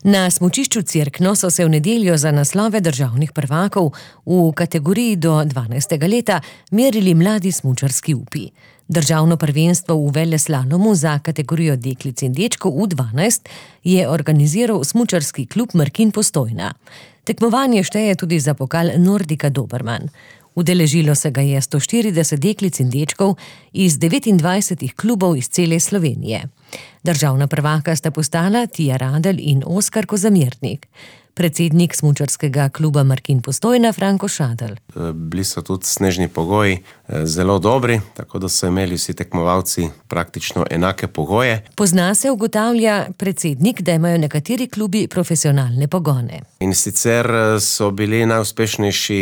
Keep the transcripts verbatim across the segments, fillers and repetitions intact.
Na smučišču Cerkno so se v nedeljo za naslove državnih prvakov v kategoriji do dvanajstega leta merili mladi smučarski upi. Državno prvenstvo v veleslalomu za kategorijo deklic in dečkov U dvanajst je organiziral smučarski klub Markin Postojna. Tekmovanje šteje tudi za pokal Nordika Dobermann. Udeležilo se ga je sto štirideset deklic in dečkov iz devetindvajsetih klubov iz cele Slovenije. Državna prvaka sta postala Tija Radelj in Oskar Kozamernik. Predsednik smučarskega kluba Markin Postojna Franko Šadelj. Bili so tudi snežni pogoji zelo dobri, tako da so imeli vsi tekmovalci praktično enake pogoje. Pozna se, ugotavlja predsednik, da imajo nekateri klubi profesionalne pogone. In sicer so bili najuspešnejši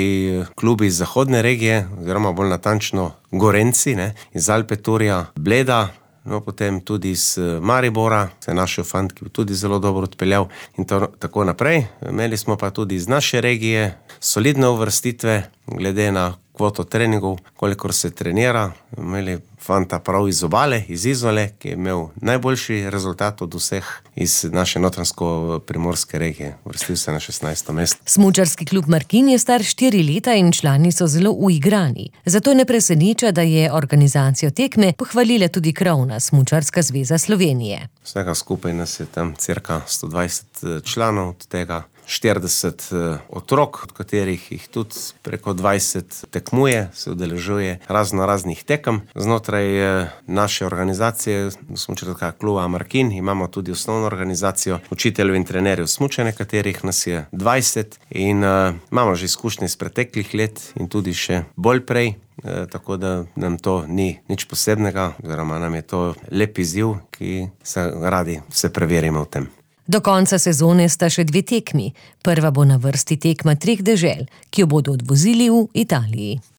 klubi iz zahodne regije, oziroma bolj natančno Gorenci, ne, iz Alpeturja, Bleda, no, potem tudi iz Maribora, se je našel fant, ki bi tudi zelo dobro odpeljal in to, tako naprej. Imeli smo pa tudi iz naše regije solidne uvrstitve, glede na kvoto treningov, kolikor se trenira. Imeli fanta prav iz Obale, iz Izole, ki je imel najboljši rezultat od vseh iz naše notranjsko-primorske regije. Uvrstil se na šestnajsto mesto. Smučarski klub Markin je star štiri leta in člani so zelo uigrani. Zato ne preseneča, da je organizacijo tekme pohvalila tudi krovna Smučarska zveza Slovenije. Vsega skupaj nas je tam cirka sto dvajset članov, od tega štirideset otrok, od katerih jih tudi preko dvajset tekmuje, se udeležuje razno raznih tekem. Znotraj naše organizacije, smučarskega kluba Markin, imamo tudi osnovno organizacijo učiteljev in trenerjev smučanja, katerih nas je dvajset in uh, imamo že izkušnje iz preteklih let in tudi še bolj prej. E, tako da nam to ni nič posebnega, oziroma nam je to lep izziv, ki se radi vse preverimo v tem. Do konca sezone sta še dve tekmi. Prva bo na vrsti tekma treh dežel, ki jo bodo odvozili v Italiji.